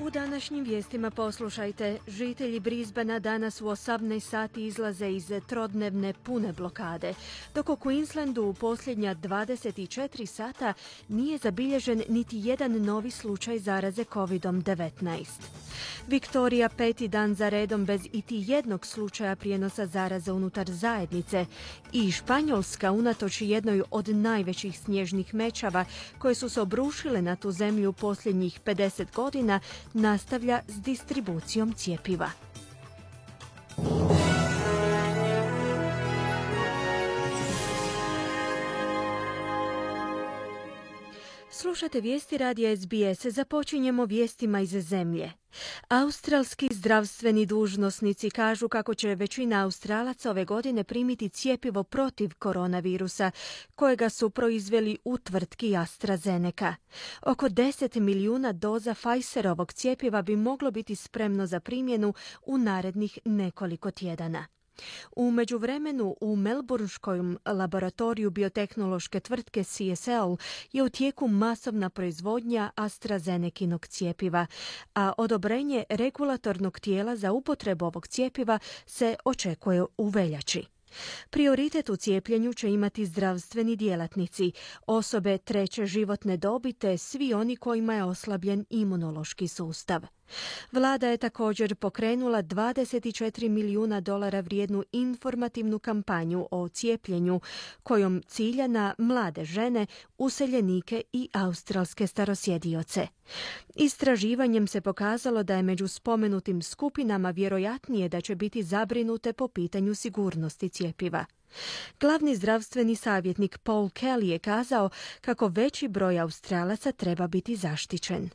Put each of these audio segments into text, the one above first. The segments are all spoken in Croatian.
U današnjim vijestima poslušajte, žitelji Brisbanea danas u 18 sati izlaze iz trodnevne pune blokade, dok u Queenslandu u posljednja 24 sata nije zabilježen niti jedan novi slučaj zaraze COVID-19. Viktorija 5. dan za redom bez iti jednog slučaja prijenosa zaraze unutar zajednice i Španjolska, unatoč jednoj od najvećih snježnih mećava koje su se obrušile na tu zemlju u posljednjih 50 godina, nastavlja s distribucijom cjepiva. Slušate vijesti radija SBS. Započinjemo vijestima iz zemlje. Australski zdravstveni dužnosnici kažu kako će većina Australaca ove godine primiti cjepivo protiv koronavirusa, kojega su proizveli u tvrtki AstraZeneca. Oko 10 milijuna doza Pfizerovog cjepiva bi moglo biti spremno za primjenu u narednih nekoliko tjedana. U međuvremenu u melburnskom laboratoriju biotehnološke tvrtke CSL je u tijeku masovna proizvodnja AstraZenekinog cjepiva, a odobrenje regulatornog tijela za upotrebu ovog cjepiva se očekuje u veljači. Prioritet u cijepljenju će imati zdravstveni djelatnici, osobe treće životne dobi te svi oni kojima je oslabljen imunološki sustav. Vlada je također pokrenula $24 milijuna vrijednu informativnu kampanju o cijepljenju, kojom cilja na mlade žene, useljenike i australske starosjedioce. Istraživanjem se pokazalo da je među spomenutim skupinama vjerojatnije da će biti zabrinute po pitanju sigurnosti cjepiva. Glavni zdravstveni savjetnik Paul Kelly je kazao kako veći broj Australaca treba biti zaštićen.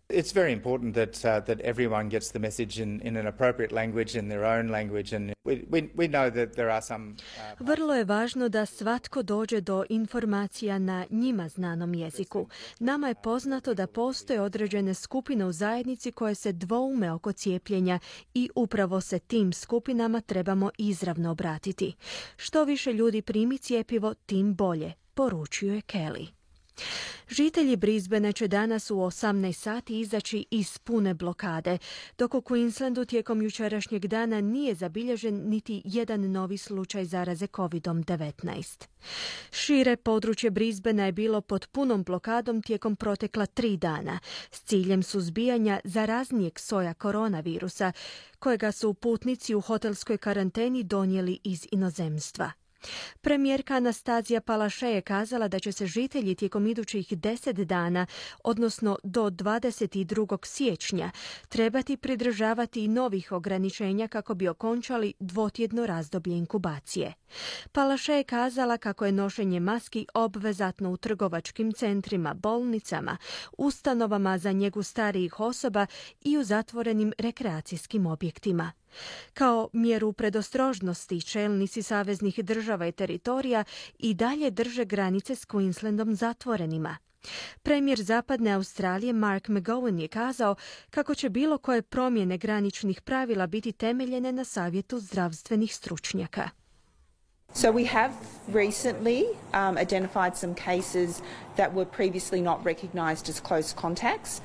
It's very important that everyone gets the message in an appropriate language, in their own language, and we know that there are some. Vrlo je važno da svatko dođe do informacija na njima znanom jeziku. Nama je poznato da postoje određene skupine u zajednici koje se dvoume oko cijepljenja i upravo se tim skupinama trebamo izravno obratiti. Što više ljudi primi cjepivo, tim bolje, poručuje Kelly. Žitelji Brisbanea će danas u 18 sati izaći iz pune blokade, dok u Queenslandu tijekom jučerašnjeg dana nije zabilježen niti jedan novi slučaj zaraze COVID-19. Šire područje Brisbanea je bilo pod punom blokadom tijekom protekla 3 dana s ciljem suzbijanja zaraznijeg soja koronavirusa, kojega su putnici u hotelskoj karanteni donijeli iz inozemstva. Premijerka Anastazija Palaszczuk je kazala da će se žitelji tijekom idućih 10 dana, odnosno do 22. siječnja, trebati pridržavati i novih ograničenja kako bi okončali dvotjedno razdoblje inkubacije. Palaszczuk je kazala kako je nošenje maski obvezatno u trgovačkim centrima, bolnicama, ustanovama za njegu starijih osoba i u zatvorenim rekreacijskim objektima. Kao mjeru predostrožnosti, čelnici saveznih država i teritorija i dalje drže granice s Queenslandom zatvorenima. Premijer Zapadne Australije Mark McGowan je kazao kako će bilo koje promjene graničnih pravila biti temeljene na savjetu zdravstvenih stručnjaka. So we have recently identified some cases that were previously not recognised as close contacts.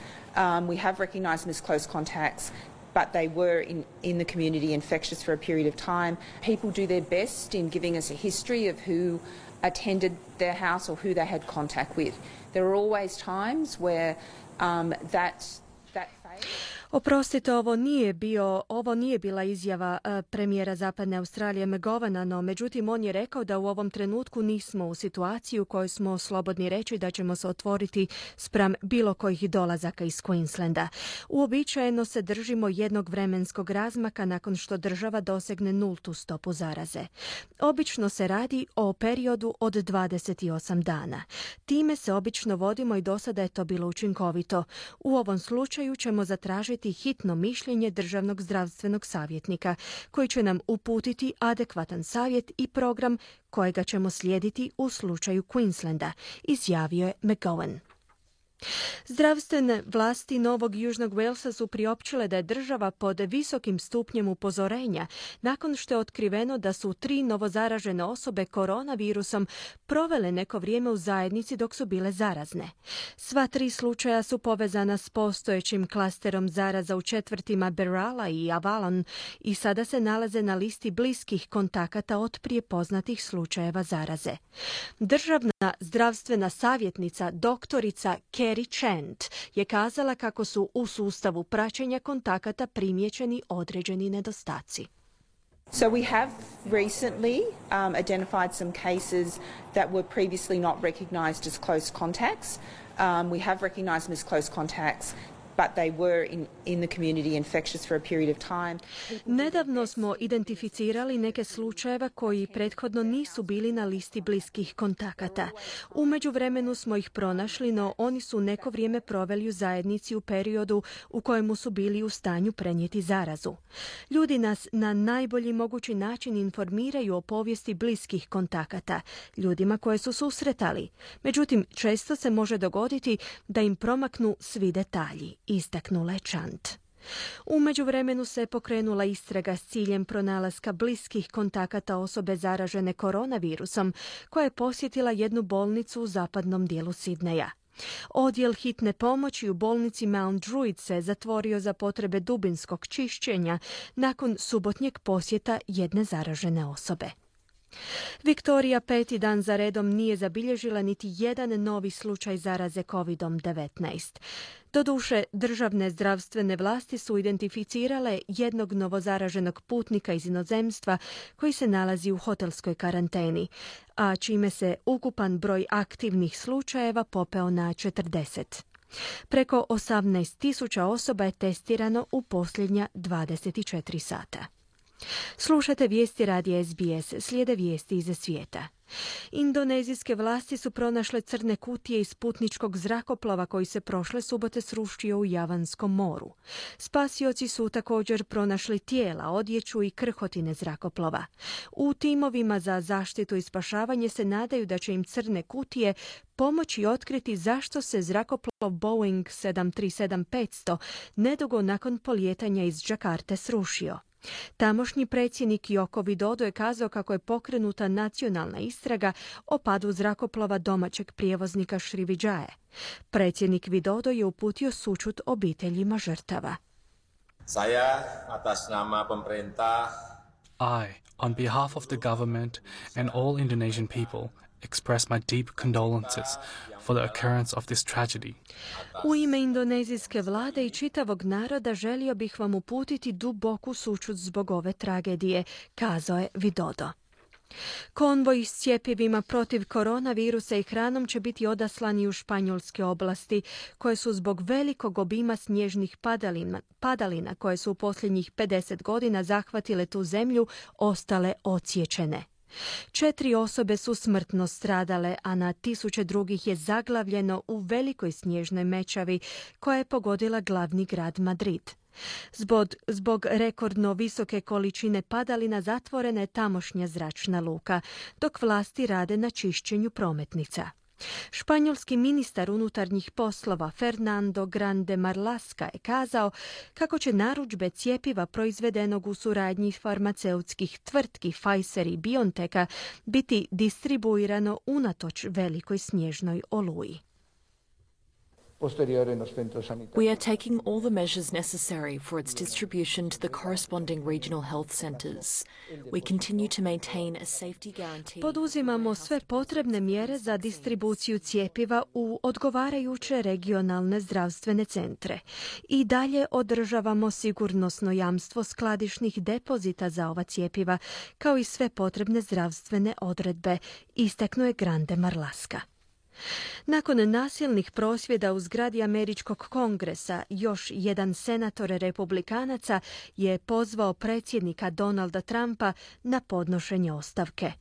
We have recognised them as close contacts, but they were in the community infectious for a period of time. People do their best in giving us a history of who attended their house or who they had contact with. There are always times where that fails. Oprostite, ovo nije bila izjava premijera Zapadne Australije McGovana, no međutim on je rekao da u ovom trenutku nismo u situaciji u kojoj smo slobodni reći da ćemo se otvoriti spram bilo kojih dolazaka iz Queenslanda. Uobičajeno se držimo jednog vremenskog razmaka nakon što država dosegne nultu stopu zaraze. Obično se radi o periodu od 28 dana. Time se obično vodimo i do sada je to bilo učinkovito. U ovom slučaju ćemo zatražiti hitno mišljenje državnog zdravstvenog savjetnika, koji će nam uputiti adekvatan savjet i program kojega ćemo slijediti u slučaju Queenslanda, izjavio je McGowan. Zdravstvene vlasti Novog Južnog Walesa su priopćile da je država pod visokim stupnjem upozorenja nakon što je otkriveno da su 3 novozaražene osobe koronavirusom provele neko vrijeme u zajednici dok su bile zarazne. Sva 3 slučaja su povezana s postojećim klasterom zaraza u četvrtima Berala i Avalon i sada se nalaze na listi bliskih kontakata od prije poznatih slučajeva zaraze. Državna zdravstvena savjetnica doktorica Kerry Chant je kazala kako su u sustavu praćenja kontakata primijećeni određeni nedostaci. So we have recently identified some cases that were previously not recognised as close contacts. We have recognised them as close contacts, but they were in the community infectious for a period of time. Nedavno smo identificirali neke slučajeva koji prethodno nisu bili na listi bliskih kontakata. U međuvremenu smo ih pronašli, no oni su neko vrijeme proveli u zajednici u periodu u kojemu su bili u stanju prenijeti zarazu. Ljudi nas na najbolji mogući način informiraju o povijesti bliskih kontakata, ljudima koje su susretali. Međutim, često se može dogoditi da im promaknu svi detalji, istaknula je Chant. U međuvremenu se pokrenula istraga s ciljem pronalaska bliskih kontakata osobe zaražene koronavirusom koja je posjetila jednu bolnicu u zapadnom dijelu Sidneja. Odjel hitne pomoći u bolnici Mount Druitt se zatvorio za potrebe dubinskog čišćenja nakon subotnjeg posjeta jedne zaražene osobe. Viktorija 5. dan za redom nije zabilježila niti jedan novi slučaj zaraze COVID-19. Doduše, državne zdravstvene vlasti su identificirale jednog novozaraženog putnika iz inozemstva koji se nalazi u hotelskoj karanteni, a čime se ukupan broj aktivnih slučajeva popeo na 40. Preko 18.000 osoba je testirano u posljednja 24 sata. Slušate vijesti radija SBS, slijede vijesti iz svijeta. Indonezijske vlasti su pronašle crne kutije iz putničkog zrakoplova koji se prošle subote srušio u Javanskom moru. Spasioci su također pronašli tijela, odjeću i krhotine zrakoplova. U timovima za zaštitu i spašavanje se nadaju da će im crne kutije pomoći otkriti zašto se zrakoplov Boeing 737-500 nedugo nakon polijetanja iz Džakarte srušio. Tamošnji predsjednik Joko Widodo je kazao kako je pokrenuta nacionalna istraga o padu zrakoplova domaćeg prijevoznika Sriwijaya. Predsjednik Widodo je uputio sućut obiteljima žrtava. Saya atas nama pemerintah, I, on behalf of the government and all Indonesian people, express my deep condolences for the occurrence of this tragedy. U ime indonezijske vlade i čitavog naroda želio bih vam uputiti duboku sućut zbog ove tragedije, kazao je Widodo. Konvoj s cjepivima protiv koronavirusa i hranom će biti odaslani u španjolske oblasti, koje su zbog velikog obima snježnih padalina koje su u posljednjih 50 godina zahvatile tu zemlju, ostale odsječene. 4 osobe su smrtno stradale, a na tisuće drugih je zaglavljeno u velikoj snježnoj mećavi koja je pogodila glavni grad Madrid. Zbog rekordno visoke količine padalina zatvorena je tamošnja zračna luka, dok vlasti rade na čišćenju prometnica. Španjolski ministar unutarnjih poslova Fernando Grande Marlaska je kazao kako će narudžbe cjepiva proizvedenog u suradnji farmaceutskih tvrtki Pfizer i BioNTecha biti distribuirano unatoč velikoj snježnoj oluji. We are taking all the measures necessary for its distribution to the corresponding regional health centres. We continue to maintain a safety guarantee. Poduzimamo sve potrebne mjere za distribuciju cjepiva u odgovarajuće regionalne zdravstvene centre. I dalje održavamo sigurnosno jamstvo skladišnih depozita za ova cjepiva, kao i sve potrebne zdravstvene odredbe, istaknuo je Grande Marlaska. Nakon nasilnih prosvjeda u zgradi Američkog kongresa, još jedan senator republikanaca je pozvao predsjednika Donalda Trumpa na podnošenje ostavke.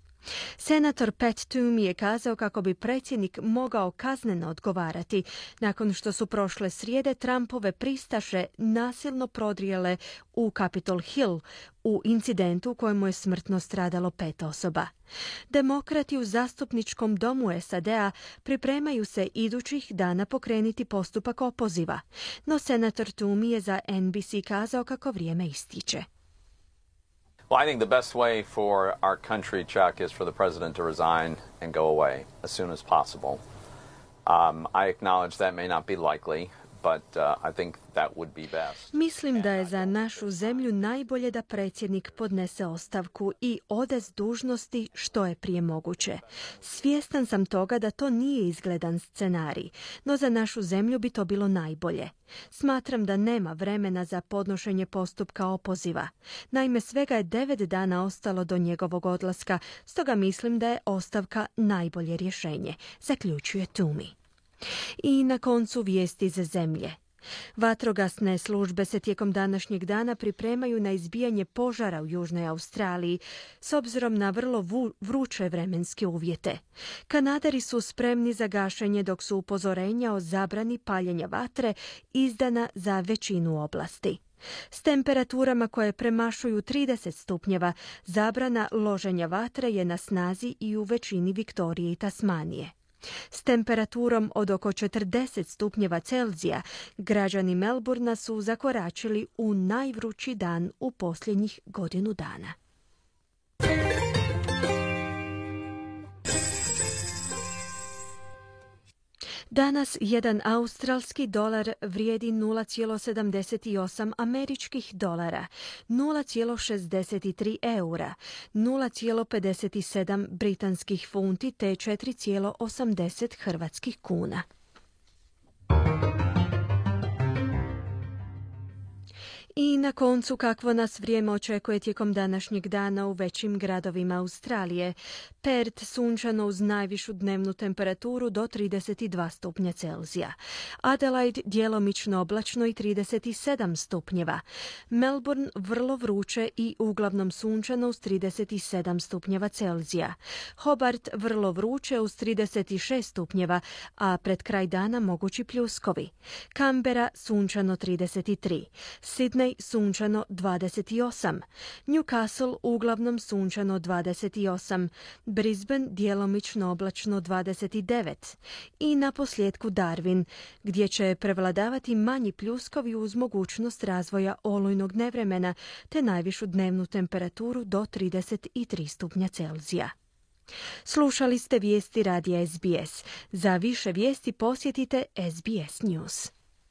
Senator Pat Toomey je kazao kako bi predsjednik mogao kazneno odgovarati nakon što su prošle srijede Trumpove pristaše nasilno prodrijele u Capitol Hill u incidentu u kojemu je smrtno stradalo 5 osoba. Demokrati u zastupničkom domu SAD-a pripremaju se idućih dana pokrenuti postupak opoziva, no senator Toomey je za NBC kazao kako vrijeme ističe. Well, I think the best way for our country, Chuck, is for the president to resign and go away as soon as possible. I acknowledge that may not be likely, but I think that would be best. Mislim da je za našu zemlju najbolje da predsjednik podnese ostavku i ode s dužnosti što je prije moguće. Svjestan sam toga da to nije izgledan scenarij, no za našu zemlju bi to bilo najbolje. Smatram da nema vremena za podnošenje postupka opoziva. Naime, svega je 9 dana ostalo do njegovog odlaska, stoga mislim da je ostavka najbolje rješenje, zaključuje Toomey. I na koncu vijesti za zemlje. Vatrogasne službe se tijekom današnjeg dana pripremaju na izbijanje požara u Južnoj Australiji s obzirom na vrlo vruće vremenske uvjete. Kanaderi su spremni za gašenje dok su upozorenja o zabrani paljenja vatre izdana za većinu oblasti. S temperaturama koje premašuju 30 stupnjeva, zabrana loženja vatre je na snazi i u većini Viktorije i Tasmanije. S temperaturom od oko 40 stupnjeva Celzija, građani Melbourna su zakoračili u najvrući dan u posljednjih godinu dana. Danas jedan australski dolar vrijedi 0,78 američkih dolara, 0,63 eura, 0,57 britanskih funti te 4,80 hrvatskih kuna. I na koncu kakvo nas vrijeme očekuje tijekom današnjeg dana u većim gradovima Australije. Perth sunčano uz najvišu dnevnu temperaturu do 32 stupnja Celzija. Adelaide djelomično oblačno i 37 stupnjeva. Melbourne vrlo vruće i uglavnom sunčano uz 37 stupnjeva Celzija. Hobart vrlo vruće uz 36 stupnjeva, a pred kraj dana mogući pljuskovi. Canberra sunčano 33. Sydney sunčano 28, Newcastle uglavnom sunčano 28, Brisbane djelomično oblačno 29 i na posljedku Darwin, gdje će prevladavati manji pljuskovi uz mogućnost razvoja olujnog nevremena te najvišu dnevnu temperaturu do 33 stupnja Celzija. Slušali ste vijesti radija SBS. Za više vijesti posjetite SBS News.